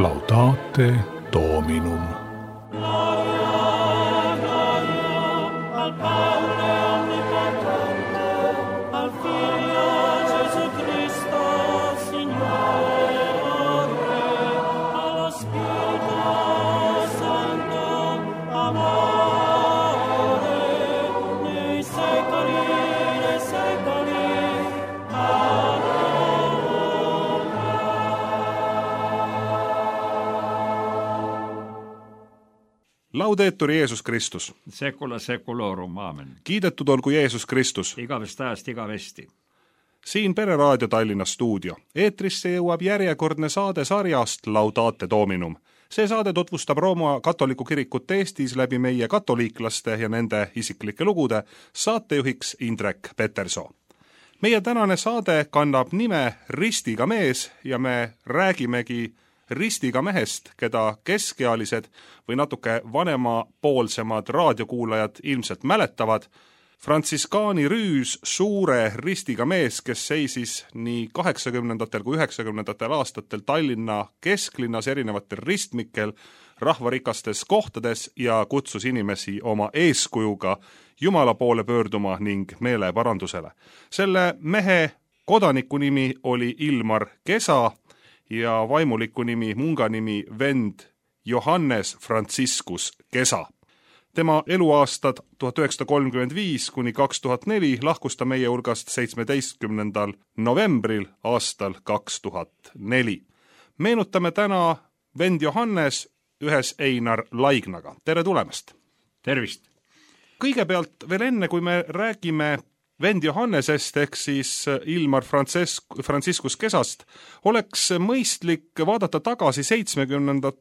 Laudate Dominum. Laudetur Jeesus Kristus. Secula seculorum, aamen. Kiidetud olgu Jeesus Kristus. Igavest ajast igavesti. Siin Pereraadio Tallinna stuudio. Eetrisse jõuab järjekordne saade sarjast Laudate Dominum. See saade tutvustab Rooma katoliku kirikut Eestis läbi meie katoliiklaste ja nende isiklike lugude, saatejuhiks Indrek Petersoo. Meie tänane saade kannab nime Ristiga mees ja me räägimegi ristiga mehest, keda keskealised või natuke vanemapoolsemad raadiokuulajad ilmselt mäletavad. Frantsiskaani rüüs suure ristiga mees, kes seisis nii 80. kui 90. aastatel Tallinna kesklinnas erinevatel ristmikel, rahvarikastes kohtades ja kutsus inimesi oma eeskujuga Jumala poole pöörduma ning meeleparandusele. Selle mehe kodaniku nimi oli Ilmar Kesa ja vaimuliku nimi, munga nimi vend Johannes Franciscus Kesa. Tema eluaastad 1935 kuni 2004 lahkus ta meie hulgast 17. novembril aastal 2004. Meenutame täna vend Johannes ühes Einar Laignaga. Tere tulemast! Tervist! Kõigepealt veel enne, kui me räägime vend Johannesest ehk siis Ilmar Franciscus Kesast, oleks mõistlik vaadata tagasi 70.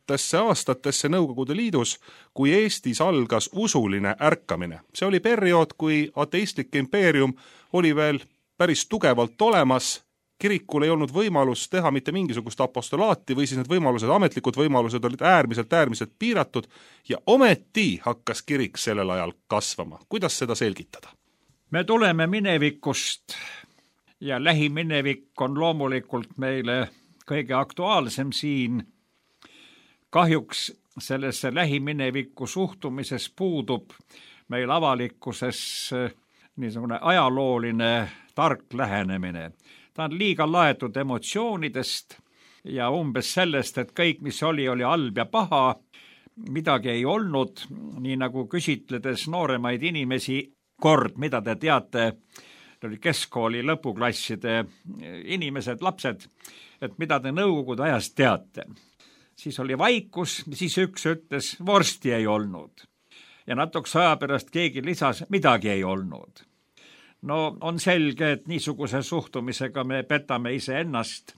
aastatesse Nõukogude Liidus, kui Eestis algas usuline ärkamine. See oli periood, kui ateistlik impeerium oli veel päris tugevalt olemas, kirikul ei olnud võimalus teha mitte mingisugust apostolaati või siis need võimalused, ametlikud võimalused olid äärmiselt piiratud ja ometi hakkas kirik sellel ajal kasvama. Kuidas seda selgitada? Me tuleme minevikust ja lähiminevik on loomulikult meile kõige aktuaalsem siin. Kahjuks sellesse lähiminevikku suhtumises puudub meil avalikkuses niisugune ajalooline tark lähenemine. Ta on liiga laetud emotsioonidest ja umbes sellest, et kõik, mis oli halb ja paha, midagi ei olnud, nii nagu küsitledes nooremaid inimesi, kord, mida te teate, oli keskkooli lõpuklasside inimesed, lapsed, et mida te Nõukogude ajast teate. Siis oli vaikus, siis üks ütles, vorsti ei olnud. Ja natuks aja pärast keegi lisas, midagi ei olnud. No on selge, et niisuguse suhtumisega me petame iseennast.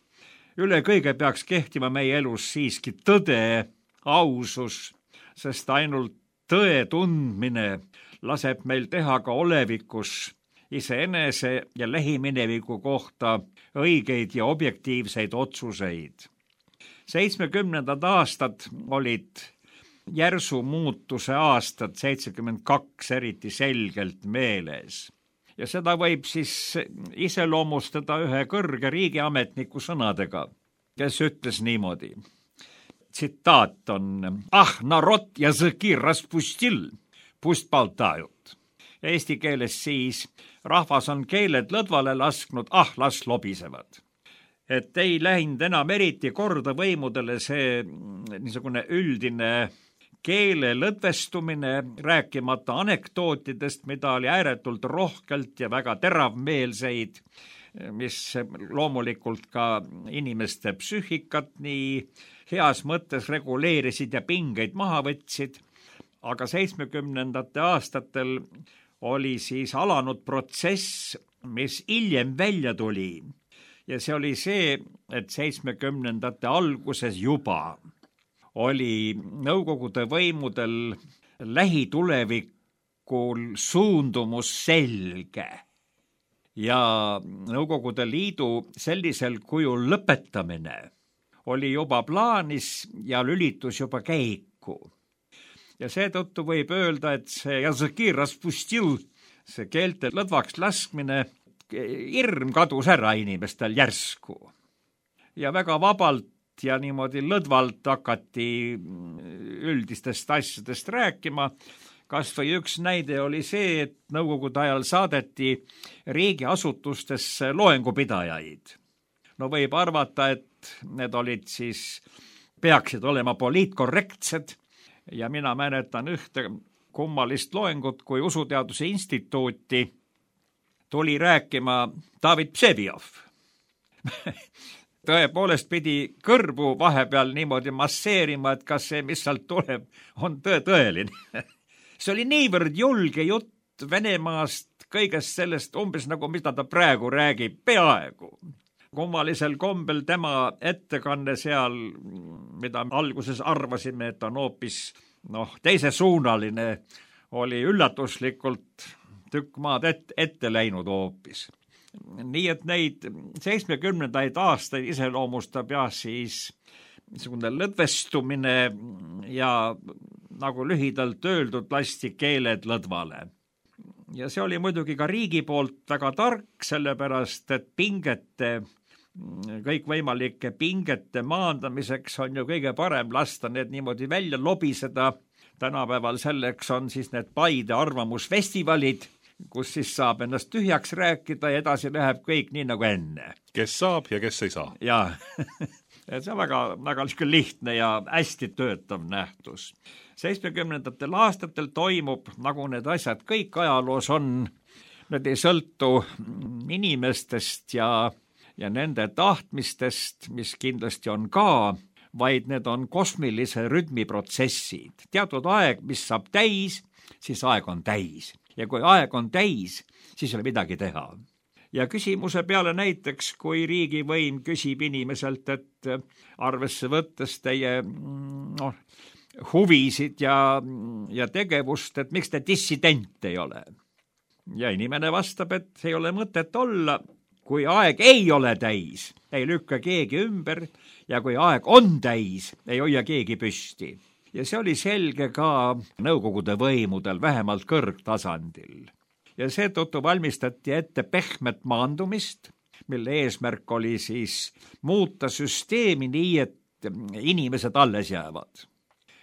Üle kõige peaks kehtima meie elus siiski tõde, ausus, sest ainult tõe tundmine laseb meil teha ka olevikus iseenese ja lähimineviku kohta õigeid ja objektiivseid otsuseid. 70. aastad olid järsu muutuse aastad, 72 eriti selgelt meeles. Ja seda võib siis iseloomustada ühe kõrge riigiametniku sõnadega, kes ütles niimoodi. Tsitaat on: "Ah, narod языки распустил, pust baltajut." Eesti keeles siis: rahvas on keeled lõdvale lasknud, las lobisevad. Et ei läinud enam eriti korda võimudele see niisugune üldine keele lõdvestumine, rääkimata anekdootidest, mida oli ääretult rohkelt ja väga teravmeelseid, mis loomulikult ka inimeste psüühikat nii heas mõttes reguleerisid ja pingeid maha võtsid. Aga 70. aastatel oli siis alanud protsess, mis hiljem välja tuli. Ja see oli see, et 70. alguses juba oli Nõukogude võimudel lähitulevikul suundumus selge. Ja Nõukogude Liidu sellisel kujul lõpetamine oli juba plaanis ja lülitus juba käiku. Ja seetõttu võib öelda, et see языки распустил, see keelte lõdvaks laskmine, hirm kadus ära inimestel järsku. Ja väga vabalt ja niimoodi lõdvalt hakati üldistest asjadest rääkima. Kas või üks näide oli see, et nõukogude ajal saadeti riigiasutustesse loengupidajaid. No võib arvata, et need olid siis, peaksid olema poliitkorrektsed ja mina mäletan ühte kummalist loengut, kui Usuteaduse Instituuti tuli rääkima David Vseviov. Tõepoolest pidi kõrvu vahepeal niimoodi masseerima, et kas see, mis sealt tuleb, on tõeline. See oli niivõrd julge jutt Venemaast, kõigest sellest umbes nagu mida ta praegu räägib, peaaegu. Kummalisel kombel tema ettekanne seal, mida alguses arvasime, et on hoopis teisesuunaline, oli üllatuslikult tükk maad ette läinud hoopis. Nii et neid 70. aastaid iseloomustab siis niisugune lõdvestumine ja nagu lühidalt öeldud lasti keeled lõdvale. Ja see oli muidugi ka riigi poolt väga tark, sellepärast et kõikvõimalike pingete maandamiseks on ju kõige parem lasta need niimoodi välja lobiseda. Tänapäeval selleks on siis need Paide arvamusfestivalid, kus siis saab ennast tühjaks rääkida ja edasi läheb kõik nii nagu enne. Kes saab ja kes ei saa. Jaa, see on väga lihtne ja hästi töötav nähtus. 70. aastatel toimub, nagu need asjad kõik ajaloos on, need ei sõltu inimestest ja nende tahtmistest, mis kindlasti on ka, vaid need on kosmilise rütmiprotsessid. Teatud aeg, mis saab täis, siis aeg on täis. Ja kui aeg on täis, siis ei ole midagi teha. Ja küsimuse peale näiteks, kui riigivõim küsib inimeselt, et arvesse võttes teie huvisid ja tegevust, et miks te dissident ei ole. Ja inimene vastab, et ei ole mõtet olla, kui aeg ei ole täis, ei lükka keegi ümber ja kui aeg on täis, ei hoia keegi püsti. Ja see oli selge ka nõukogude võimudel, vähemalt kõrgtasandil. Ja seetõttu valmistati ette pehmet maandumist, mille eesmärk oli siis muuta süsteemi nii, et inimesed alles jäävad.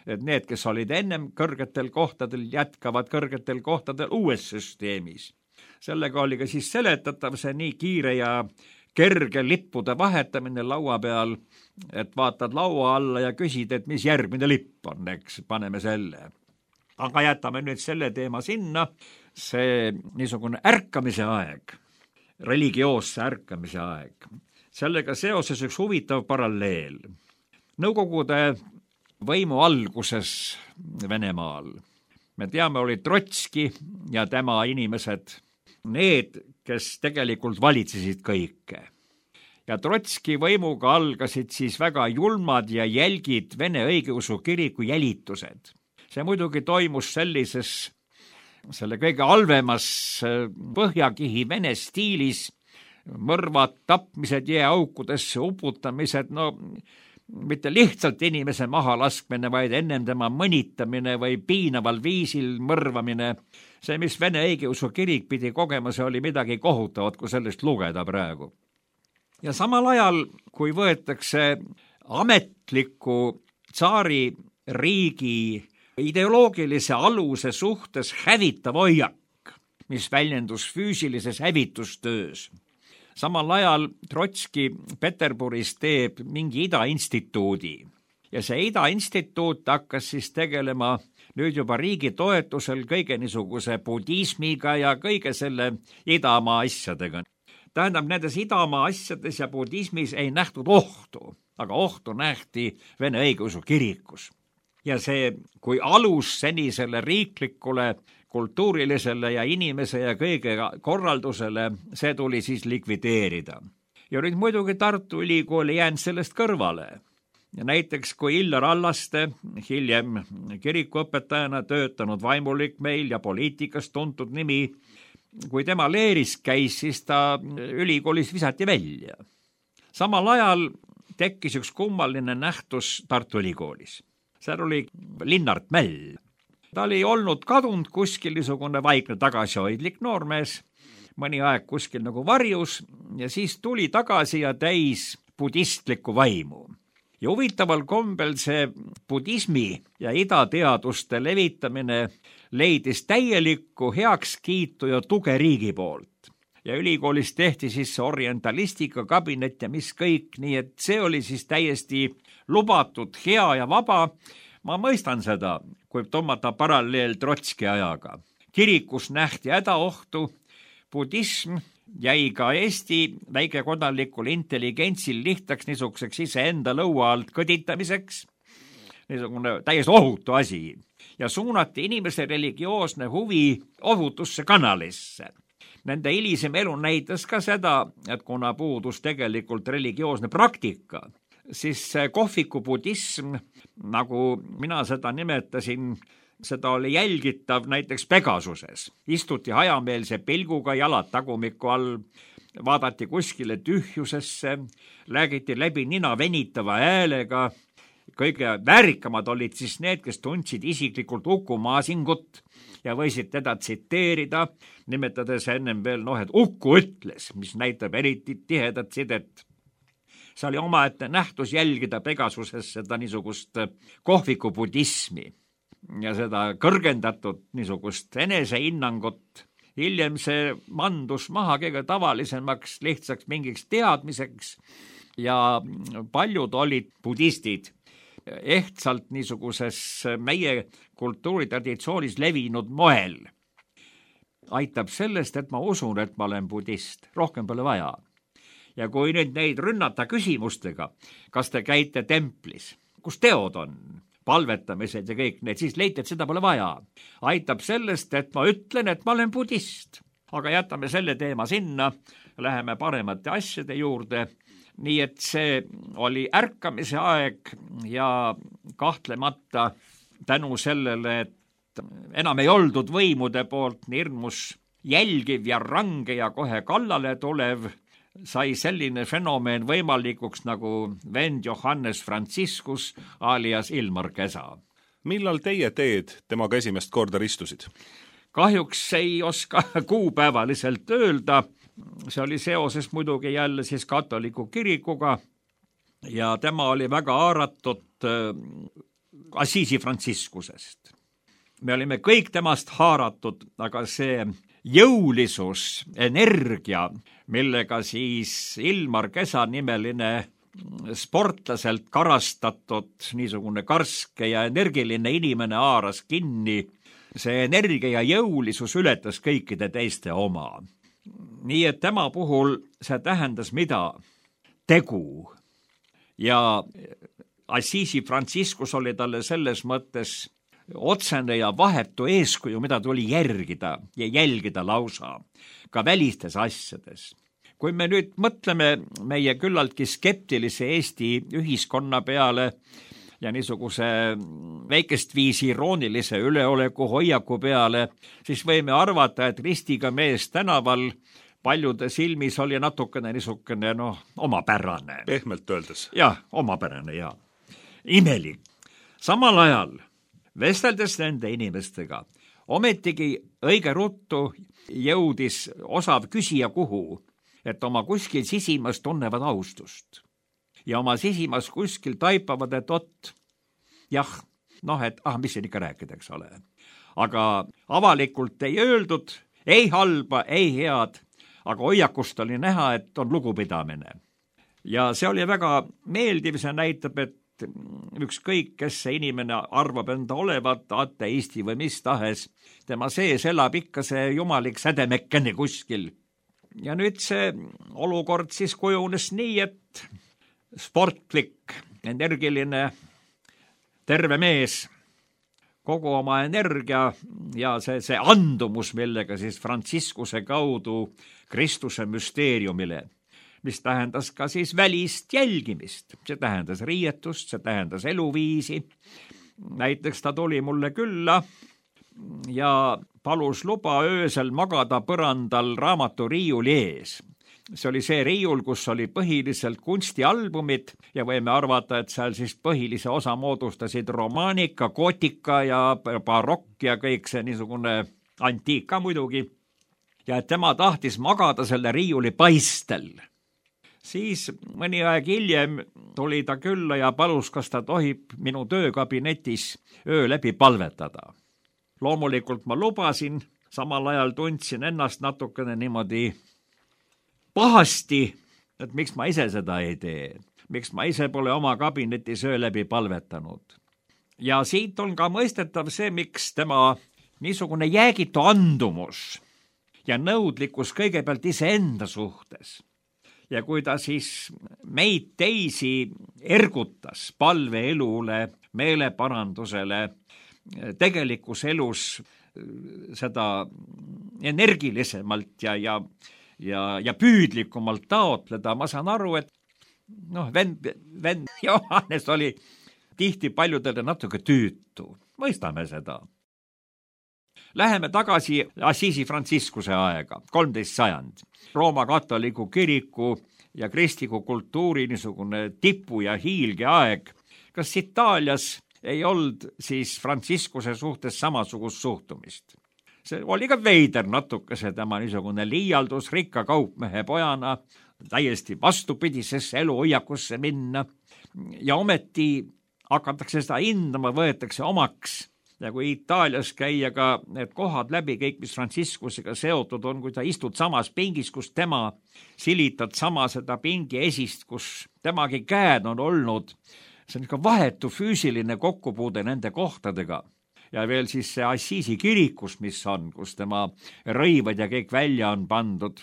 Et need, kes olid ennem kõrgetel kohtadel, jätkavad kõrgetel kohtadel uues süsteemis. Sellega oli ka siis seletatav see nii kiire ja kerge lippude vahetamine laua peal, et vaatad laua alla ja küsid, et mis järgmine lipp on, eks, paneme selle. Aga jätame nüüd selle teema sinna, see niisugune ärkamise aeg, religioosse ärkamise aeg. Sellega seoses üks huvitav paralleel. Nõukogude võimu alguses Venemaal, me teame, oli Trotski ja tema inimesed, need, kes tegelikult valitsesid kõike. Ja Trotski võimuga algasid siis väga julmad ja jälgid Vene õigeusu kiriku jälitused. See muidugi toimus selle kõige halvemas põhjakihi Vene stiilis, mõrvad, tapmised, jääaukudesse uputamised, mitte lihtsalt inimese maha laskmine, vaid ennem tema mõnitamine või piinaval viisil mõrvamine. See, mis Vene õigeusu kirik pidi kogema, see oli midagi kohutavat, kui sellest lugeda praegu. Ja samal ajal, kui võetakse ametliku tsaari riigi ideoloogilise aluse suhtes hävitav hoiak, mis väljendus füüsilises hävitustöös. Samal ajal Trotski Peterburis teeb mingi Ida-instituudi ja see Ida-instituut hakkas siis tegelema nüüd juba riigi toetusel kõige niisuguse budismiga ja kõige selle idamaa asjadega. Tähendab, nendes idamaa asjades ja budismis ei nähtud ohtu, aga ohtu nähti Vene õigeusu kirikus. Ja see, kui alus senisele riiklikule, kultuurilisele ja inimese ja kõige korraldusele, see tuli siis likvideerida. Ja nüüd muidugi Tartu Ülikool ei jäänud sellest kõrvale. Ja näiteks kui Illar Allaste, hiljem kirikuõpetajana töötanud vaimulik meil ja poliitikas tuntud nimi, kui tema leeris käis, siis ta ülikoolis visati välja. Samal ajal tekkis üks kummaline nähtus Tartu Ülikoolis. Seal oli Linnart Mäll. Ta oli olnud kadunud kuskil niisugune vaikne tagasihoidlik noormees, mõni aeg kuskil nagu varjus ja siis tuli tagasi ja täis budistlikku vaimu. Ja huvitaval kombel see budismi ja idateaduste levitamine leidis täielikku heakskiitu ja tuge riigi poolt. Ja ülikoolis tehti siis see orientalistika kabinet ja mis kõik, nii et see oli siis täiesti lubatud, hea ja vaba. Ma mõistan seda, kui tõmmata paralleel Trotski ajaga. Kirikus nähti hädaohtu, budism jäi ka Eesti väikekodanikul intelligentsil lihtsaks niisuguseks iseenda lõua alt kõditamiseks, niisugune täiesti ohutu asi, ja suunati inimese religioosne huvi ohutusse kanalisse. Nende hilisem elu näitas ka seda, et kuna puudus tegelikult religioosne praktika, siis kohviku budism, nagu mina seda nimetasin, seda oli jälgitav näiteks Pegasuses. Istuti hajameelse pilguga, jalad tagumiku all, vaadati kuskile tühjusesse, räägiti läbi nina venitava häälega. Kõige väärikamad olid siis need, kes tundsid isiklikult Uku Masingut ja võisid teda tsiteerida, nimetades ennem veel, et Uku ütles, mis näitab eriti tihedat sidet. See oli omaette nähtus jälgida Pegasuses seda niisugust kohviku budismi ja seda kõrgendatud niisugust enesehinnangut. Hiljem see mandus maha kõige tavalisemaks lihtsaks mingiks teadmiseks ja paljud olid budistid ehtsalt niisuguses meie kultuuritraditsoonis levinud moel. Aitab sellest, et ma usun, et ma olen budist. Rohkem pole vaja. Ja kui nüüd neid rünnata küsimustega, kas te käite templis, kus teod on, palvetamised ja kõik need, siis leiti, et seda pole vaja. Aitab sellest, et ma ütlen, et ma olen budist. Aga jätame selle teema sinna, läheme paremate asjade juurde. Nii et see oli ärkamise aeg ja kahtlemata tänu sellele, et enam ei oldud võimude poolt nii hirmus jälgiv ja range ja kohe kallale tulev, sai selline fenomen võimalikuks nagu vend Johannes Franciscus alias Ilmar Kesa. Millal teie teed temaga esimest korda ristusid? Kahjuks ei oska kuupäevaliselt öelda. See oli seoses muidugi jälle siis katoliku kirikuga ja tema oli väga haaratud Assisi Franciscusest. Me olime kõik temast haaratud, aga see jõulisus, energia, millega siis Ilmar Kesa nimeline sportlaselt karastatud niisugune karske ja energiline inimene haaras kinni, see energia ja jõulisus ületas kõikide teiste oma. Nii et tema puhul see tähendas mida? Tegu. Ja Assisi Franciscus oli talle selles mõttes otsene ja vahetu eeskuju, mida tuli järgida ja jälgida lausa, ka välistes asjades. Kui me nüüd mõtleme meie küllaltki skeptilise Eesti ühiskonna peale ja niisuguse väikest viisi iroonilise üleoleku hoiaku peale, siis võime arvata, et ristiga mees tänaval paljude silmis oli natukene niisugune, omapärane. Pehmelt öeldes. Jah, omapärane ja imelik. Samal ajal, vesteldes nende inimestega, ometigi õige ruttu jõudis osav küsija kuhu, et oma kuskil sisimas tunnevad austust. Ja oma sisimas kuskil taipavad, et mis siin ikka rääkida, eks ole. Aga avalikult ei öeldud, ei halba, ei head, aga hoiakust oli näha, et on lugupidamine. Ja see oli väga meeldiv, see näitab, et ükskõik, kes see inimene arvab enda olevat, ateisti või mis tahes, tema sees elab ikka see jumalik sädemekkene kuskil. Ja nüüd see olukord siis kujunes nii, et sportlik, energiline, terve mees, kogu oma energia ja see andumus, millega siis Franciscuse kaudu Kristuse müsteeriumile, mis tähendas ka siis välist jälgimist. See tähendas riietust, see tähendas eluviisi. Näiteks ta tuli mulle külla ja palus luba öösel magada põrandal raamaturiiuli ees. See oli see riiul, kus oli põhiliselt kunstialbumid ja võime arvata, et seal siis põhilise osa moodustasid romaanika, gootika ja barokk ja kõik see niisugune antiika muidugi. Ja et tema tahtis magada selle riiuli paistel. Siis mõni aeg hiljem tuli ta külla ja palus, kas ta tohib minu töökabinetis öö läbi palvetada. Loomulikult ma lubasin, samal ajal tundsin ennast natukene niimoodi pahasti, et miks ma ise seda ei tee, miks ma ise pole oma kabinetis öö läbi palvetanud. Ja siit on ka mõistetav see, miks tema niisugune jäägitu andumus ja nõudlikkus kõigepealt iseenda suhtes. Ja kui ta siis meid teisi ergutas palveelule, meeleparandusele, tegelikus elus seda energilisemalt ja püüdlikumalt taotleda, ma saan aru, et vend Johannes oli tihti paljudele natuke tüütu. Mõistame seda. Läheme tagasi Assisi Franciscuse aega, 13. sajand. Rooma katoliku kiriku ja kristliku kultuuri niisugune tipu ja hiilge aeg. Kas Itaalias ei olnud siis Franciscuse suhtes samasugust suhtumist? See oli ka veider natuke see tema niisugune liialdus rikka kaupmehe pojana, täiesti vastupidisesse eluhoiakusse minna ja ometi hakatakse seda hindama, võetakse omaks. Ja kui Itaalias käia ka need kohad läbi, kõik mis Franciscusega seotud on, kui ta istud samas pingis, kus tema, silitad sama seda pingi esist, kus temagi käed on olnud, see on ikka vahetu füüsiline kokkupuude nende kohtadega. Ja veel siis see Assisi kirikus, mis on, kus tema rõivad ja kõik välja on pandud.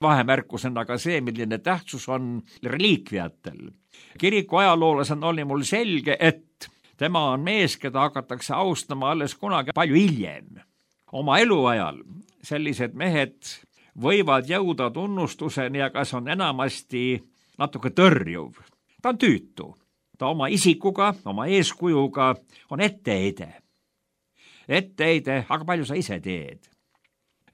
Vahemärkusena ka see, milline tähtsus on reliikviatel. Kiriku ajaloolasena oli mul selge, et tema on mees, keda hakatakse austama alles kunagi palju hiljem. Oma eluajal sellised mehed võivad jõuda tunnustuseni, aga see on enamasti natuke tõrjuv. Ta on tüütu. Ta oma isikuga, oma eeskujuga on etteheide. Etteheide, aga palju sa ise teed?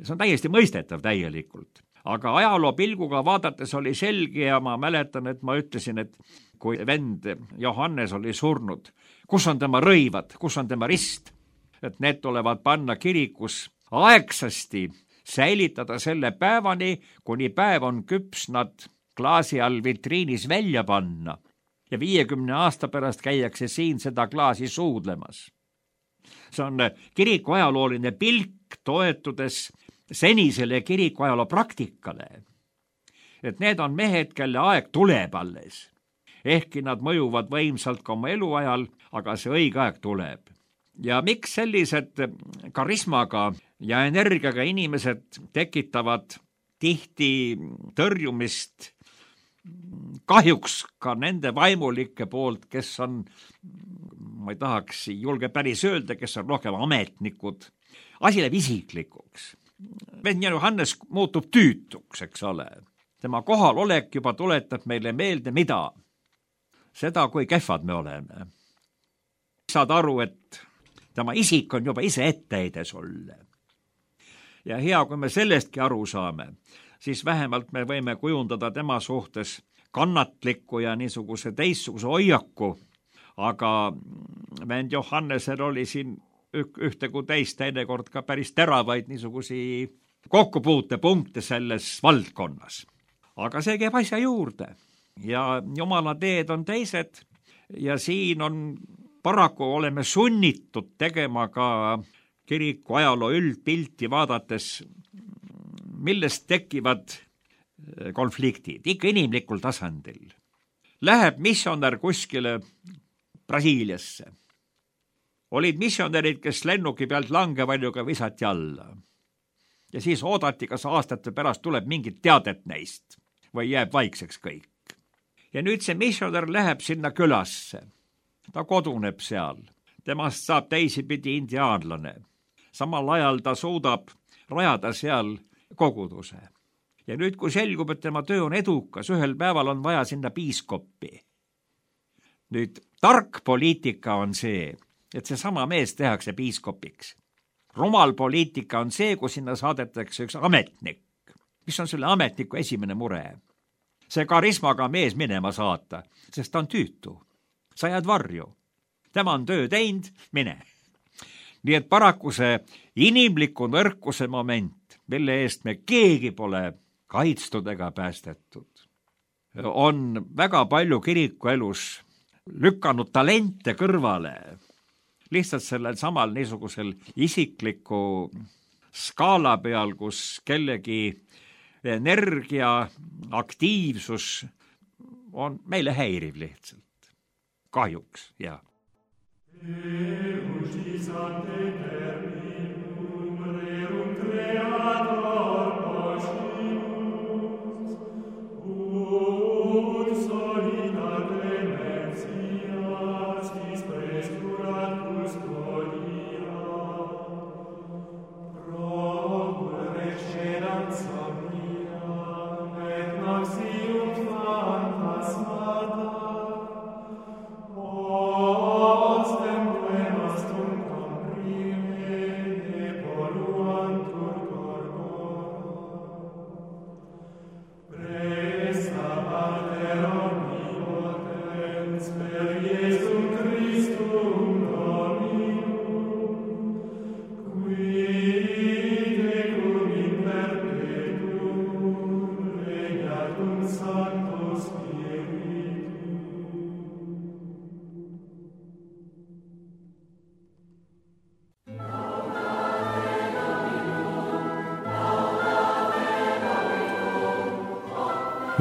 See on täiesti mõistetav täielikult. Aga ajaloo pilguga vaadates oli selge ja ma mäletan, et ma ütlesin, et kui vend Johannes oli surnud, kus on tema rõivad, kus on tema rist, et need tulevad panna kirikus aegsasti, säilitada selle päevani, kuni päev on küps nad klaasi all vitriinis välja panna ja 50 aasta pärast käiakse siin seda klaasi suudlemas. See on kiriku ajalooline pilk toetudes senisele kiriku ajaloo praktikale, et need on mehed, kelle aeg tuleb alles. Ehkki nad mõjuvad võimsalt ka oma eluajal, aga see õige aeg tuleb. Ja miks sellised karismaga ja energiaga inimesed tekitavad tihti tõrjumist kahjuks ka nende vaimulike poolt, kes on, ma ei tahaks julge päris öelda, kes on rohkem ametnikud. Asi läheb isiklikuks. Vend Johannes muutub tüütuks, eks ole. Tema kohalolek juba tuletab meile meelde, mida? Seda, kui kehvad me oleme. Saad aru, et tema isik on juba ise etteheide sulle. Ja hea, kui me sellestki aru saame, siis vähemalt me võime kujundada tema suhtes kannatlikku ja niisuguse teistsuguse hoiaku, aga vend Johannesel oli siin ühte kui teist teinekord ka päris teravaid niisugusi kokkupuutepunkte selles valdkonnas. Aga see käib asja juurde ja Jumala teed on teised ja siin on paraku oleme sunnitud tegema ka kiriku ajaloo üldpilti vaadates, millest tekivad konfliktid, ikka inimlikul tasandil. Läheb missionär kuskile Brasiiliasse. Olid missionärid, kes lennuki pealt langevaljuga visati alla. Ja siis oodati, kas aastate pärast tuleb mingit teadet neist või jääb vaikseks kõik. Ja nüüd see missionär läheb sinna külasse. Ta koduneb seal. Temast saab teisipidi indiaanlane. Samal ajal ta suudab rajada seal koguduse. Ja nüüd, kui selgub, et tema töö on edukas, ühel päeval on vaja sinna piiskoppi. Nüüd, tark poliitika on see, et see sama mees tehakse piiskopiks. Rumal poliitika on see, kui sinna saadetakse üks ametnik. Mis on selle ametniku esimene mure? See karismaga mees minema saata, sest ta on tüütu. Sa jääd varju. Tema on töö teinud, mine. Nii et paraku see inimliku nõrkuse moment, mille eest me keegi pole kaitstud ega päästetud. on väga palju kirikuelus lükanud talente kõrvale. Lihtsalt sellel samal niisugusel isikliku skaala peal, kus kellegi energia, aktiivsus on meile häiriv lihtsalt. Kahjuks, jah.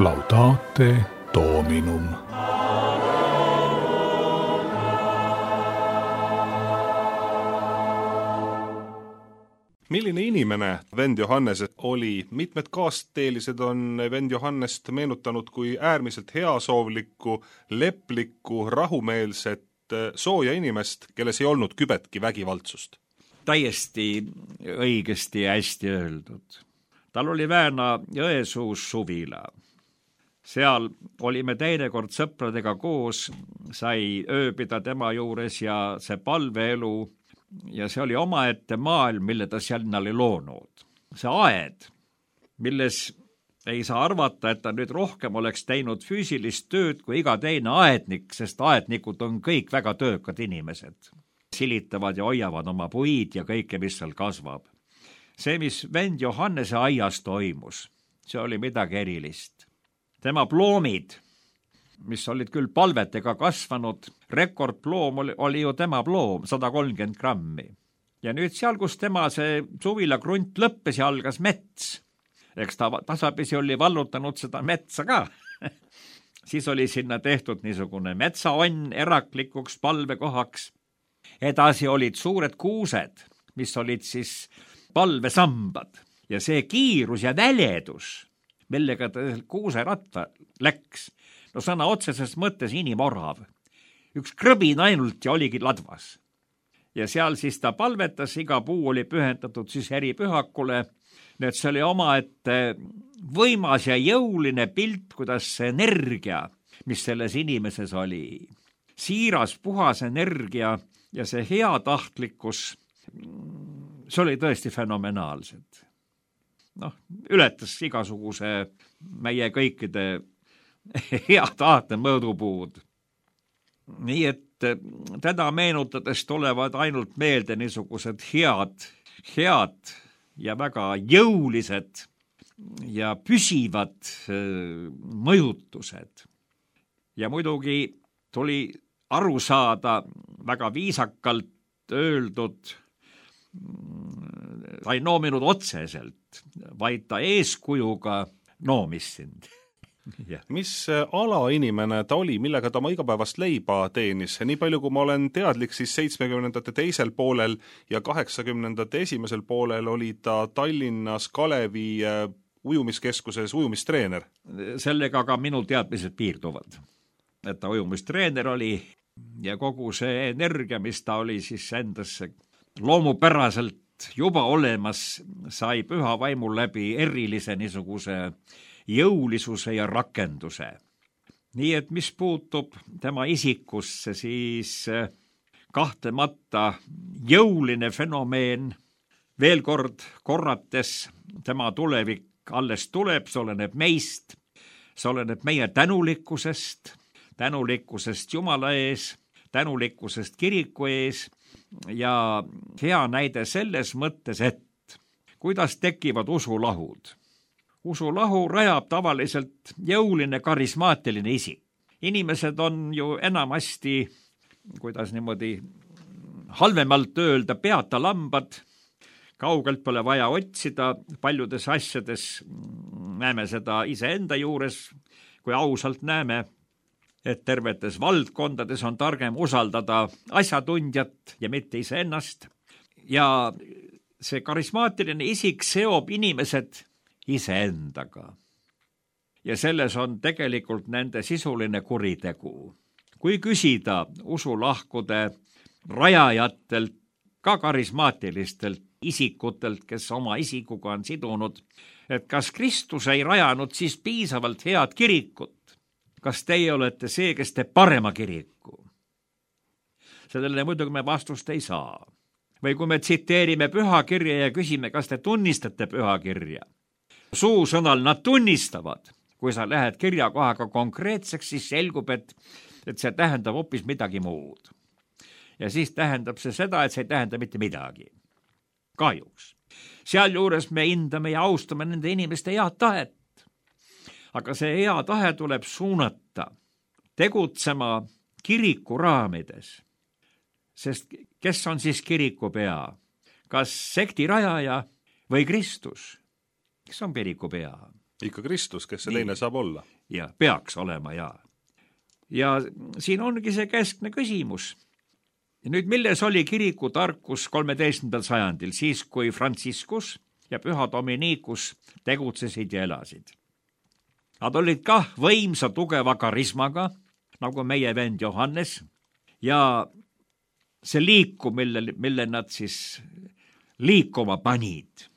Laudate Dominum. Milline inimene vend Johannes oli? Mitmed kaasteelised on vend Johannest meenutanud kui äärmiselt heasoovlikku, leplikku, rahumeelset, sooja inimest, kelles ei olnud kübetki vägivaldsust. Täiesti õigesti ja hästi öeldud. Tal oli Vääna Jõesuus suvila. Seal olime teinekord sõpradega koos, sai ööbida tema juures ja see palveelu ja see oli omaette maailm, mille ta sinna oli loonud. See aed, milles ei saa arvata, et ta nüüd rohkem oleks teinud füüsilist tööd kui iga teine aednik, sest aednikud on kõik väga töökad inimesed. Silitavad ja hoiavad oma puid ja kõike, mis seal kasvab. See, mis vend Johannese aias toimus, see oli midagi erilist. Tema ploomid, mis olid küll palvetega kasvanud, rekordploom oli ju tema ploom, 130 grammi. Ja nüüd seal, kus tema see suvila krunt lõppes ja algas mets, eks ta tasapisi oli vallutanud seda metsa ka, siis oli sinna tehtud niisugune metsaonn eraklikuks palvekohaks. Edasi olid suured kuused, mis olid siis palvesambad ja see kiirus ja väledus, millega ta kuuseratta läks. No sõna otseses mõttes inimorav. Üks krõbin ainult ja oligi ladvas. Ja seal siis ta palvetas, iga puu oli pühendatud siis eripühakule. Nüüd see oli omaette võimas ja jõuline pilt, kuidas see energia, mis selles inimeses oli, siiras, puhas energia ja see heatahtlikkus, see oli tõesti fenomenaalsed. Ületas igasuguse meie kõikide hea tahte mõõdupuud. Nii et teda meenutades tulevad ainult meelde niisugused head ja väga jõulised ja püsivad mõjutused. Ja muidugi tuli aru saada väga viisakalt öeldud, ta ei noominud otseselt, vaid ta eeskujuga noomis sind. Mis alainimene ta oli, millega ta oma igapäevast leiba teenis? Nii palju, kui ma olen teadlik, siis 70ndate teisel poolel ja 80ndate esimesel poolel oli ta Tallinnas Kalevi ujumiskeskuses ujumistreener. Sellega ka minu teadmised piirduvad, et ta ujumistreener oli ja kogu see energia, mis ta oli siis endasse loomupäraselt juba olemas, sai püha vaimul läbi erilise niisuguse jõulisuse ja rakenduse. Nii et mis puutub tema isikusse, siis kahtlemata jõuline fenomeen, veel kord korrates, tema tulevik alles tuleb, see oleneb meist, see oleneb meie tänulikkusest Jumala ees, tänulikkusest kiriku ees ja hea näide selles mõttes, et kuidas tekivad usulahud. usulahu rajab tavaliselt jõuline karismaatiline isik. Inimesed on ju enamasti, kuidas niimoodi halvemalt öelda, peata lambad, kaugelt pole vaja otsida, paljudes asjades näeme seda iseenda juures, kui ausalt näeme, et tervetes valdkondades on targem usaldada asjatundjat ja mitte iseennast. Ja see karismaatiline isik seob inimesed iseendaga. Ja selles on tegelikult nende sisuline kuritegu. Kui küsida usulahkude rajajatelt, ka karismaatilistelt isikutelt, kes oma isikuga on sidunud, et kas Kristus ei rajanud siis piisavalt head kirikut? Kas teie olete see, kes teeb parema kiriku? Sellele muidugi me vastust ei saa. Või kui me tsiteerime pühakirja ja küsime, kas te tunnistate pühakirja? Suusõnal nad tunnistavad. Kui sa lähed kirjakohaga konkreetseks, siis selgub, et see tähendab hoopis midagi muud. Ja siis tähendab see seda, et see ei tähenda mitte midagi. Kahjuks. Sealjuures me hindame ja austame nende inimeste head tahet. Aga see hea tahe tuleb suunata tegutsema kiriku raamides. Sest kes on siis kiriku pea? Kas sekti rajaja või Kristus? Kes on kiriku pea? Ikka Kristus, kes see teine saab olla. Ja peaks olema, ja. Ja siin ongi see keskne küsimus. Ja nüüd milles oli kiriku tarkus 13. sajandil, siis kui Franciscus ja Püha Dominikus tegutsesid ja elasid? Nad olid kah võimsa tugeva karismaga, nagu meie vend Johannes, ja see liiku, mille nad siis liikuma panid.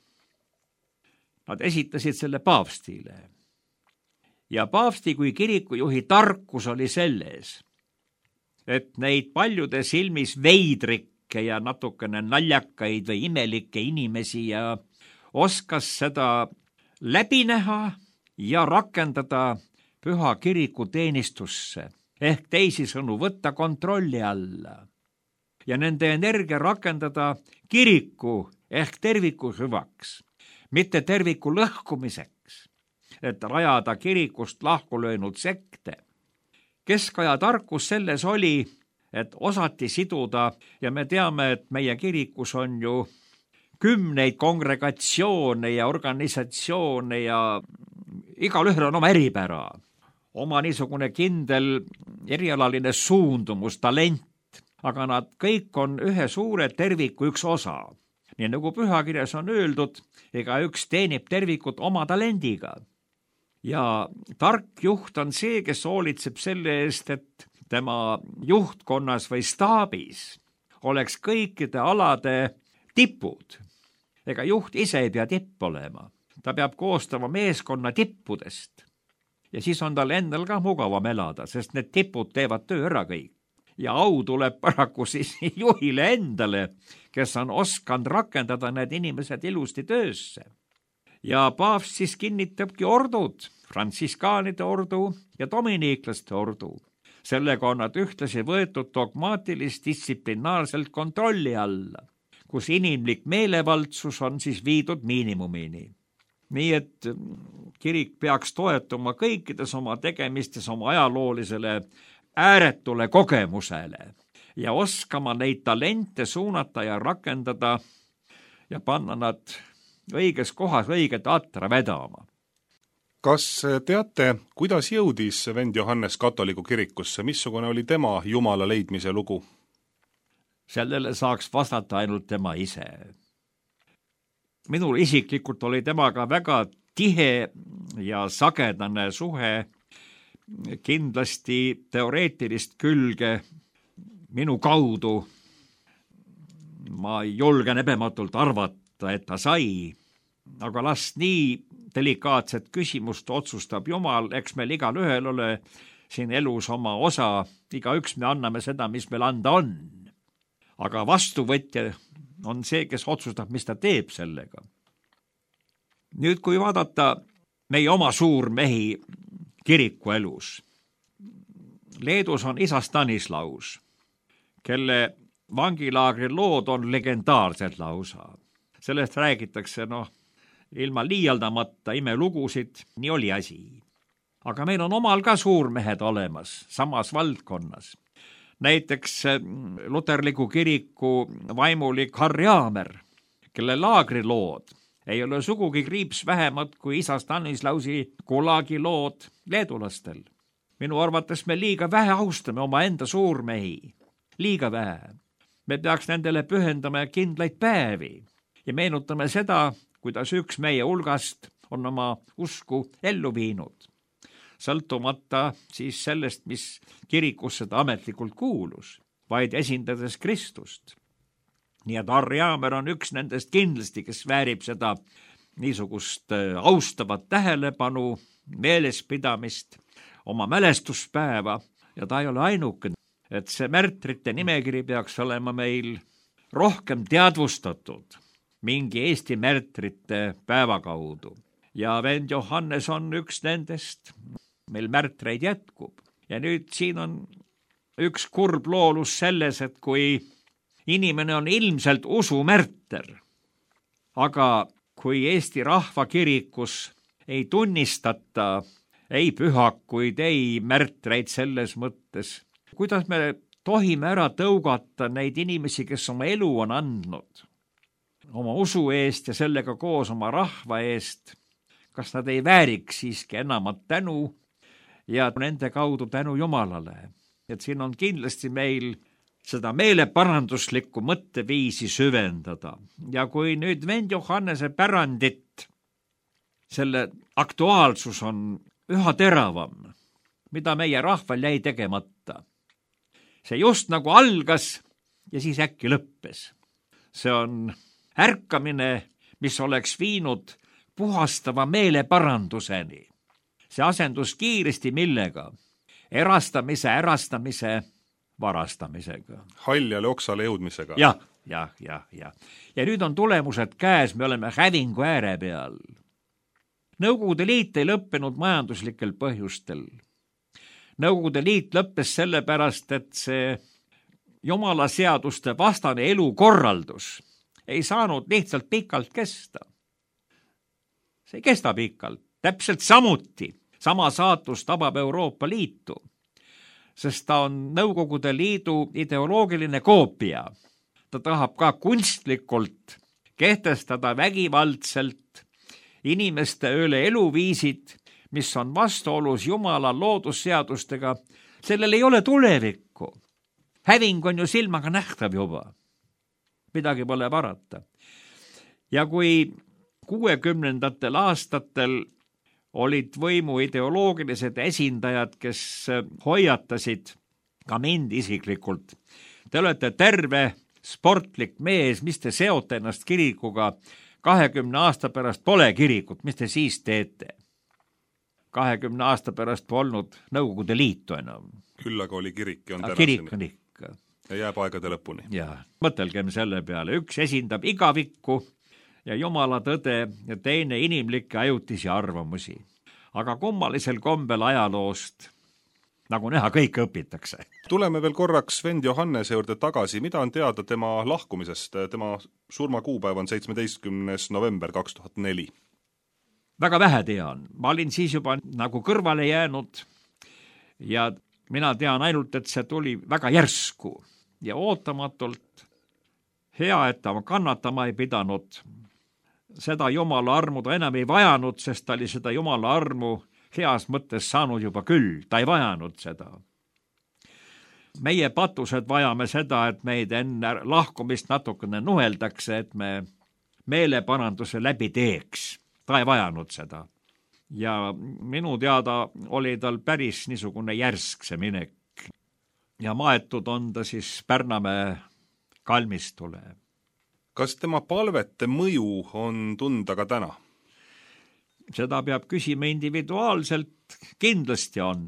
Nad esitasid selle paavstile. Ja paavsti kui kirikujuhi tarkus oli selles, et neid paljude silmis veidrikke ja natukene naljakaid või imelikke inimesi ja oskas seda läbi näha ja rakendada püha kiriku teenistusse, ehk teisisõnu võtta kontrolli alla ja nende energia rakendada kiriku ehk terviku hüvaks, mitte terviku lõhkumiseks, et rajada kirikust lahku löönud sekte. Keskaja tarkus selles oli, et osati siduda ja me teame, et meie kirikus on ju kümneid kongregatsioone ja organisatsioone ja igalühel on oma eripära, oma niisugune kindel erialaline suundumus, talent, aga nad kõik on ühe suure terviku üks osa. Nii nagu pühakirjas on öeldud, ega üks teenib tervikut oma talendiga. Ja tark juht on see, kes hoolitseb selle eest, et tema juhtkonnas või staabis oleks kõikide alade tipud. Ega juht ise ei pea tipp olema. Ta peab koostama meeskonna tippudest. Ja siis on tal endal ka mugavam elada, sest need tipud teevad töö ära kõik. Ja au tuleb paraku siis juhile endale, kes on oskanud rakendada need inimesed ilusti töösse. Ja paavst siis kinnitabki ordud, frantsiskaanide ordu ja dominiiklaste ordu. Sellega on nad ühtlasi võetud dogmaatilist distsiplinaarselt kontrolli alla, kus inimlik meelevaldsus on siis viidud miinimumini. Nii et kirik peaks toetuma kõikides oma tegemistes oma ajaloolisele ääretule kogemusele ja oskama neid talente suunata ja rakendada ja panna nad õiges kohas õiget atra vedama. Kas teate, kuidas jõudis vend Johannes katoliku kirikusse? Missugune oli tema Jumala leidmise lugu? Sellele saaks vastata ainult tema ise. Minul isiklikult oli temaga väga tihe ja sagedane suhe, kindlasti teoreetilist külge minu kaudu. Ma julgen ebematult arvata, et ta sai, aga las nii delikaatset küsimust otsustab Jumal, eks meil igal ühel ole siin elus oma osa, igaüks me anname seda, mis meil anda on. Aga vastuvõtja on see, kes otsustab, mis ta teeb sellega. Nüüd, kui vaadata meie oma suurmehi kiriku elus. Leedus on isa Stanislaus, kelle vangilaagri lood on legendaarsed lausa. Sellest räägitakse, ilma liialdamata imelugusid, nii oli asi. Aga meil on omal ka suurmehed olemas samas valdkonnas. Näiteks luterliku kiriku vaimulik Harri Aamer, kelle laagrilood ei ole sugugi kriips vähemad kui isa Stanislausi Gulagi lood leedulastel. Minu arvates me liiga vähe austame omaenda suurmehi. Liiga vähe. Me peaks nendele pühendama kindlaid päevi ja meenutame seda, kuidas üks meie hulgast on oma usku ellu viinud, sõltumata siis sellest, mis kirikus seda ametlikult kuulus, vaid esindades Kristust. Nii et Harri Aamer on üks nendest kindlasti, kes väärib seda niisugust austavat tähelepanu, meelespidamist, oma mälestuspäeva ja ta ei ole ainuke, et see märtrite nimekiri peaks olema meil rohkem teadvustatud mingi Eesti märtrite päeva kaudu. Ja vend Johannes on üks nendest, meil märtreid jätkub. Ja nüüd siin on üks kurb loolus selles, et kui inimene on ilmselt usumärter, aga kui Eesti rahvakirikus ei tunnistata ei pühakuid, ei märtreid selles mõttes, kuidas me tohime ära tõugata neid inimesi, kes oma elu on andnud, oma usu eest ja sellega koos oma rahva eest, kas nad ei vääriks siiski enamat tänu ja nende kaudu tänu Jumalale. Et siin on kindlasti meil seda meeleparanduslikku mõtteviisi süvendada. Ja kui nüüd vend Johannese pärandit, selle aktuaalsus on üha teravam, mida meie rahval jäi tegemata. See just nagu algas ja siis äkki lõppes. See on ärkamine, mis oleks viinud puhastava meeleparanduseni. See asendus kiiresti millega? Ärastamise varastamisega. Haljale oksale jõudmisega. Ja. Ja nüüd on tulemused käes, me oleme hävingu ääre peal. Nõukogude Liit ei lõppenud majanduslikel põhjustel. Nõukogude Liit lõppes sellepärast, et see Jumala seaduste vastane elukorraldus ei saanud lihtsalt pikalt kesta. See ei kesta pikalt. Täpselt samuti sama saatus tabab Euroopa Liitu, sest ta on Nõukogude Liidu ideoloogiline koopia. Ta tahab ka kunstlikult kehtestada vägivaldselt inimeste üle eluviisid, mis on vastuolus Jumala loodusseadustega. Sellel ei ole tulevikku. Häving on ju silmaga nähtav juba. Midagi pole parata. Ja kui 60. aastatel olid võimu ideoloogilised esindajad, kes hoiatasid ka mind isiklikult. Te olete terve sportlik mees, mis te seote ennast kirikuga, 20 aasta pärast pole kirikut, mis te siis teete? 20 aasta pärast polnud Nõukogude Liitu enam. Küll aga oli kirik ja on tänaseni. Kirik on ikka. Ja jääb aegade lõpuni. Ja, mõtelgem selle peale. Üks esindab igavikku ja Jumala tõde ja teine inimlikke ajutisi arvamusi. Aga kummalisel kombel ajaloost, nagu näha, kõik õpitakse. Tuleme veel korraks vend Johannese juurde tagasi. Mida on teada tema lahkumisest? Tema surmakuupäev on 17. november 2004. Väga vähe tean. Ma olin siis juba nagu kõrvale jäänud ja mina tean ainult, et see tuli väga järsku ja ootamatult. Hea, et ta kannatama ei pidanud. Seda Jumala armu ta enam ei vajanud, sest ta oli seda Jumala armu heas mõttes saanud juba küll. Ta ei vajanud seda. Meie patused vajame seda, et meid enne lahkumist natukene nuheldakse, et me meeleparanduse läbi teeks. Ta ei vajanud seda. Ja minu teada oli tal päris niisugune järsk see minek. Ja maetud on ta siis Pärnamäe kalmistule. Kas tema palvete mõju on tunda ka täna? Seda peab küsima individuaalselt, kindlasti on.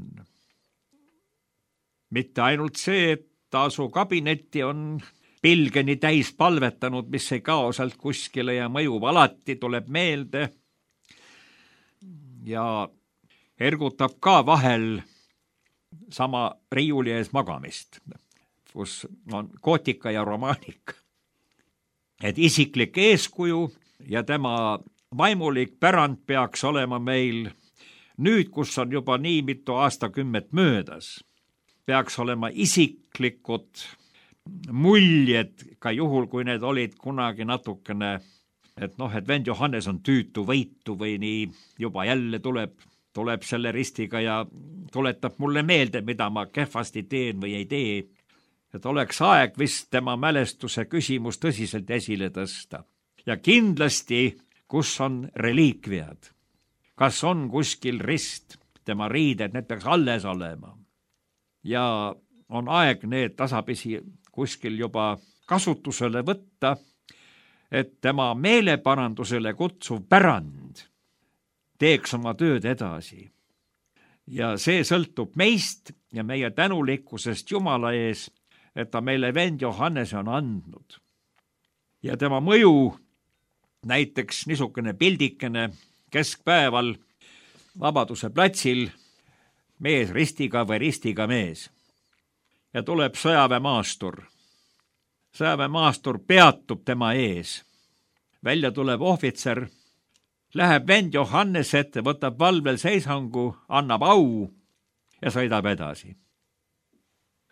Mitte ainult see, et ta su kabinetti on pilgeni täis palvetanud, mis ei kao sealt kuskile ja mõjub alati, tuleb meelde ja ergutab ka vahel sama riiuli ees magamist, kus on kootika ja romaanika. Et isiklik eeskuju ja tema vaimulik pärand peaks olema meil nüüd, kus on juba nii mitu aastakümmet möödas, peaks olema isiklikud muljed, ka juhul, kui need olid kunagi natukene, et vend Johannes on tüütu võitu või nii, juba jälle tuleb selle ristiga ja tuletab mulle meelde, mida ma kehvasti teen või ei tee. Et oleks aeg vist tema mälestuse küsimus tõsiselt esile tõsta. Ja kindlasti, kus on reliikviad. Kas on kuskil rist, tema riided, need peaks alles olema. Ja on aeg need tasapisi kuskil juba kasutusele võtta, et tema meeleparandusele kutsuv pärand teeks oma tööd edasi. Ja see sõltub meist ja meie tänulikkusest Jumala ees, et ta meile vend Johannes on andnud. Ja tema mõju, näiteks niisugune pildikene keskpäeval Vabaduse platsil, mees ristiga või ristiga mees. Ja tuleb sõjaväemaastur. Sõjaväemaastur peatub tema ees. Välja tuleb ohvitser, läheb vend Johannes ette, võtab valvel seisangu, annab au ja sõidab edasi.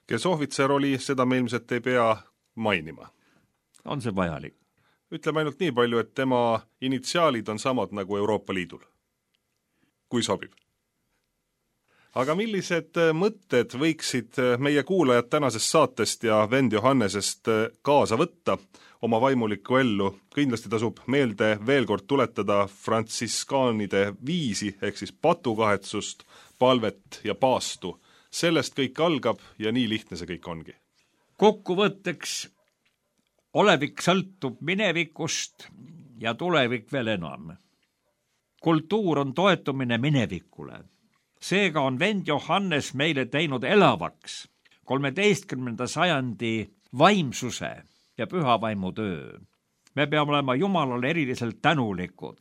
Kes ohvitser oli, seda me ilmselt ei pea mainima. On see vajalik? Ütleme ainult nii palju, et tema initsiaalid on samad nagu Euroopa Liidul. Kui sobib. Aga millised mõtted võiksid meie kuulajad tänasest saatest ja vend Johannesest kaasa võtta oma vaimulikku ellu? Kindlasti tasub meelde veel kord tuletada frantsiskaanide viisi, ehk siis patukahetsust, palvet ja paastu. Sellest kõik algab ja nii lihtne see kõik ongi. Kokkuvõtteks, olevik sõltub minevikust ja tulevik veel enam. Kultuur on toetumine minevikule. Seega on vend Johannes meile teinud elavaks 13. sajandi vaimsuse ja pühavaimu töö. Me peame olema Jumalale eriliselt tänulikud,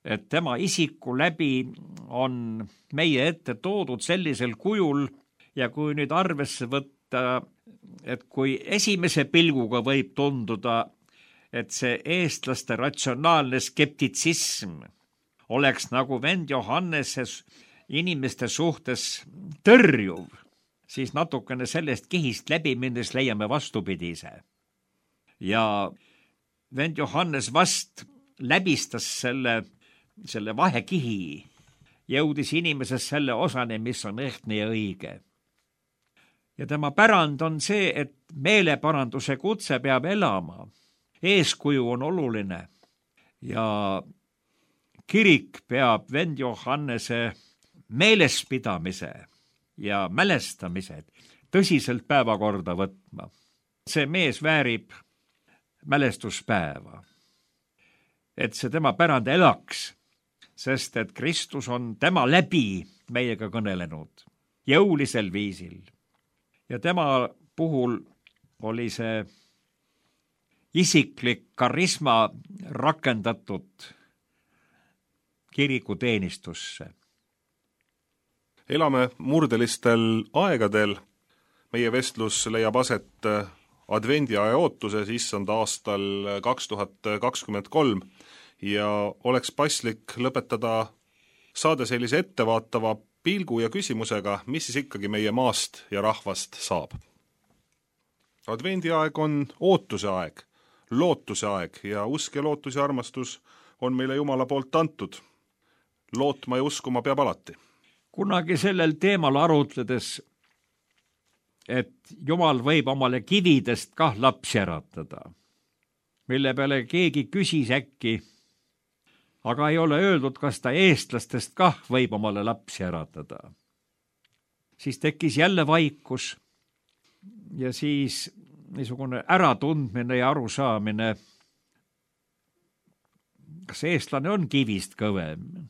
et tema isiku läbi on meie ette toodud sellisel kujul ja kui nüüd arvesse võtta, et kui esimese pilguga võib tunduda, et see eestlaste ratsionaalne skeptitsism oleks nagu vend Johanneses inimeste suhtes tõrjuv, siis natukene sellest kihist läbi minnes leiame vastupidise. Ja vend Johannes vast läbistas selle vahekihi, jõudis inimeses selle osani, mis on ehtne ja õige. Ja tema pärand on see, et meeleparanduse kutse peab elama. Eeskuju on oluline ja kirik peab vend Johannese meelespidamise ja mälestamised tõsiselt päevakorda võtma. See mees väärib mälestuspäeva, et see tema pärand elaks, sest et Kristus on tema läbi meiega kõnelenud jõulisel viisil. Ja tema puhul oli see isiklik karisma rakendatud kirikuteenistusse. Elame murdelistel aegadel. Meie vestlus leiab aset advendiaja ootuses issanda aastal 2023 ja oleks paslik lõpetada saade sellise ettevaatava pilgu ja küsimusega, mis siis ikkagi meie maast ja rahvast saab. Advendiaeg on ootuse aeg, lootuse aeg ja usk ja lootus ja armastus on meile Jumala poolt antud. Lootma ja uskuma peab alati. Kunagi sellel teemal arutledes, et Jumal võib omale kividest kah lapsi äratada, mille peale keegi küsis äkki, aga ei ole öeldud, kas ta eestlastest kah võib omale lapsi äratada. Siis tekkis jälle vaikus ja siis niisugune äratundmine ja arusaamine, kas eestlane on kivist kõvem.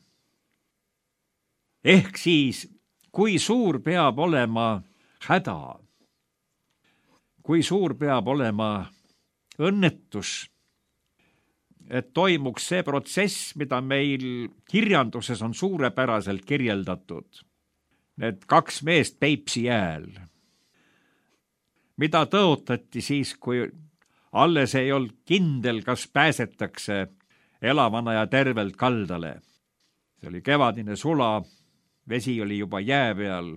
Ehk siis, kui suur peab olema häda, kui suur peab olema õnnetus, et toimuks see protsess, mida meil kirjanduses on suurepäraselt kirjeldatud. Need 2 meest Peipsi jääl, mida tõotati siis, kui alles ei olnud kindel, kas pääsetakse elavana ja tervelt kaldale. See oli kevadine sula, vesi oli juba jää peal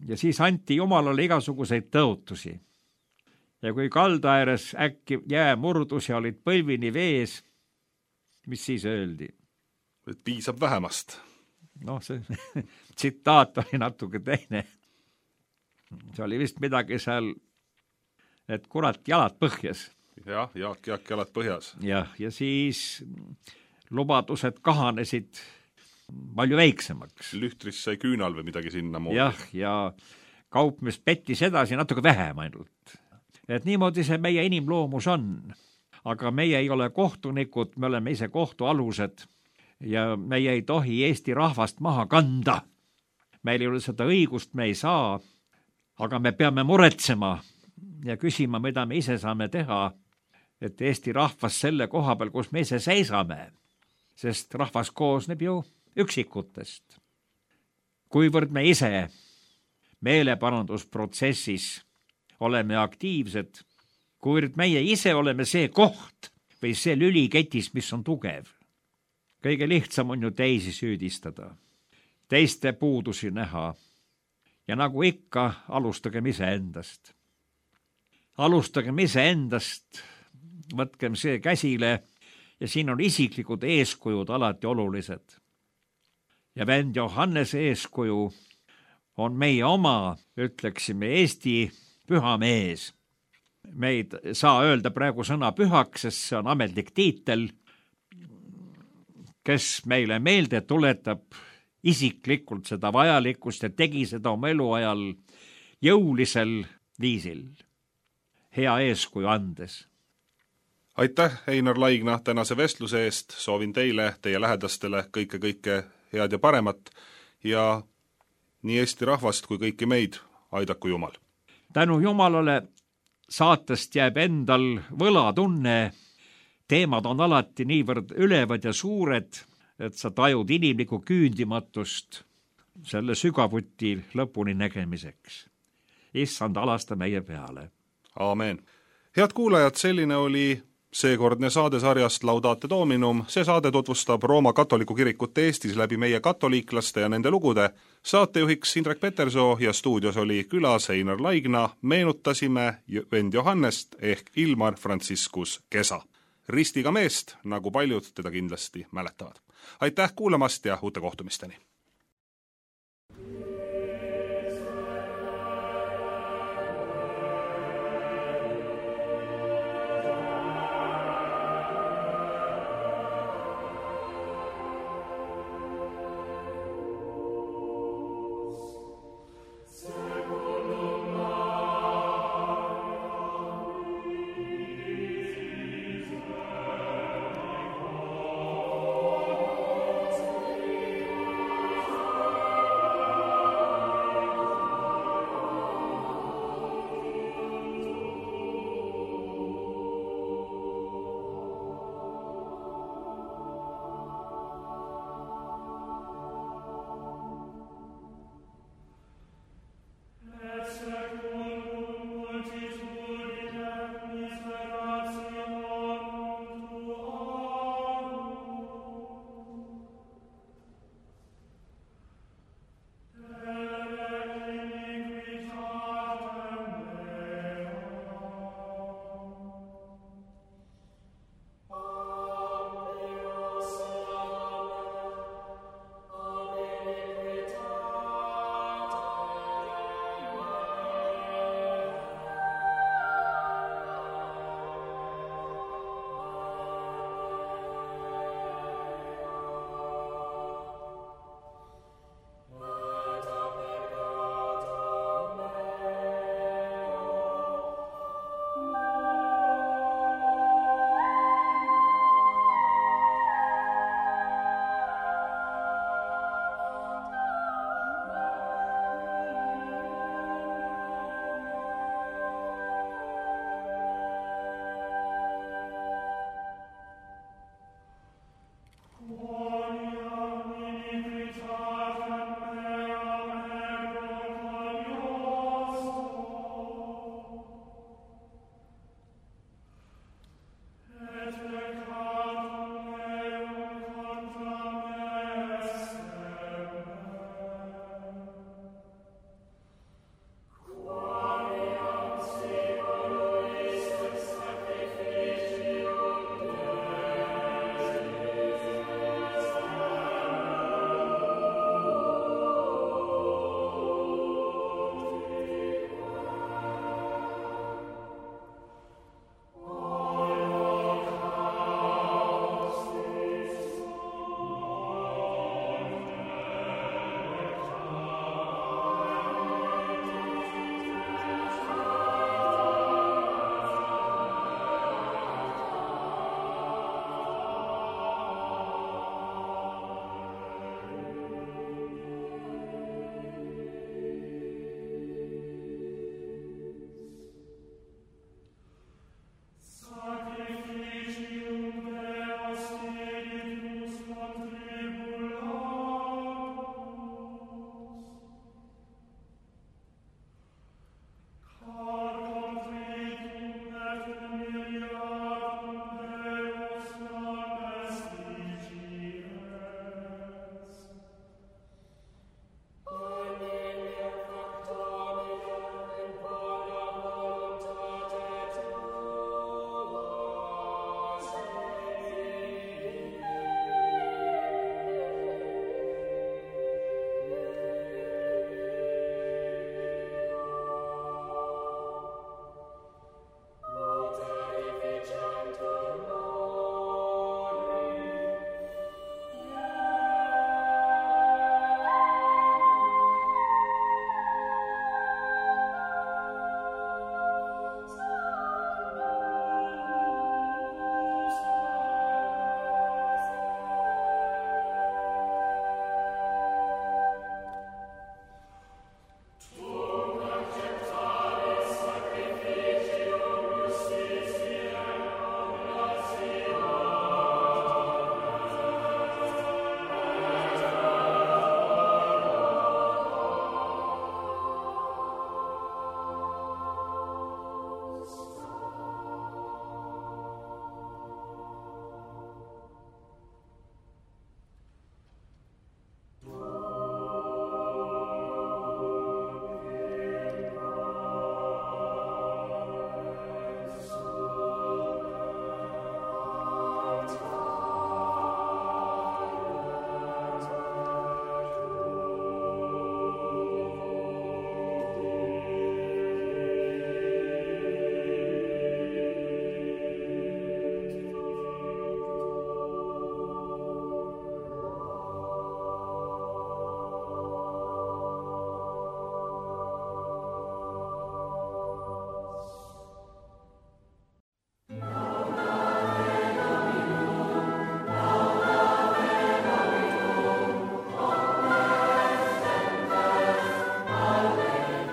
ja siis anti Jumalale igasuguseid tõotusi. Ja kui kalda ääres äkki jää murdus ja olid põlvini vees, mis siis öeldi? Et piisab vähemast. Noh, see tsitaat oli natuke teine. See oli vist midagi seal, et kurat, jalad põhjas. Jah, Jaak, jalad põhjas. Ja siis lubadused kahanesid palju väiksemaks. Lühtris sai küünal või midagi sinna moodi. Jah, ja kaupmees pettis edasi natuke vähem ainult. Et niimoodi see meie inimloomus on. Aga meie ei ole kohtunikud, me oleme ise kohtualused ja meie ei tohi Eesti rahvast maha kanda. Meil ei ole seda õigust, me ei saa, aga me peame muretsema ja küsima, mida me ise saame teha, et Eesti rahvas selle koha peal, kus me ise seisame, sest rahvas koosneb ju üksikutest. Kuivõrd me ise meeleparandusprotsessis oleme aktiivsed, kuivõrd meie ise oleme see koht või see lüliketis, mis on tugev. Kõige lihtsam on ju teisi süüdistada, teiste puudusi näha ja nagu ikka, alustagem iseendast. Alustagem iseendast, võtkem see käsile ja siin on isiklikud eeskujud alati olulised. Ja vend Johannese eeskuju on meie oma, ütleksime, Eesti püha mees. Me ei saa öelda praegu sõna pühaks, sest see on ametlik tiitel, kes meile meelde tuletab isiklikult seda vajalikkust ja tegi seda oma eluajal jõulisel viisil, hea eeskuju andes. Aitäh, Einar Laigna, tänase vestluse eest. Soovin teile, teie lähedastele kõike head ja paremat ja nii Eesti rahvast kui kõiki meid aidaku Jumal. Tänu Jumalale saatest jääb endal võlatunne. Teemad on alati niivõrd ülevad ja suured, et sa tajud inimlikku küündimatust selle sügavuti lõpuni nägemiseks. Issand, alasta meie peale. Aamen. Head kuulajad, selline oli seekordne saade sarjast Laudate Dominum. See saade tutvustab Rooma katoliku kirikut Eestis läbi meie katoliiklaste ja nende lugude. Saatejuhiks Indrek Petersoo ja stuudios oli külas Einar Laigna. Meenutasime vend Johannest ehk Ilmar Franciscus Kesa. Ristiga meest, nagu paljud teda kindlasti mäletavad. Aitäh kuulamast ja uute kohtumisteni!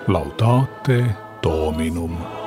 Laudate Dominum.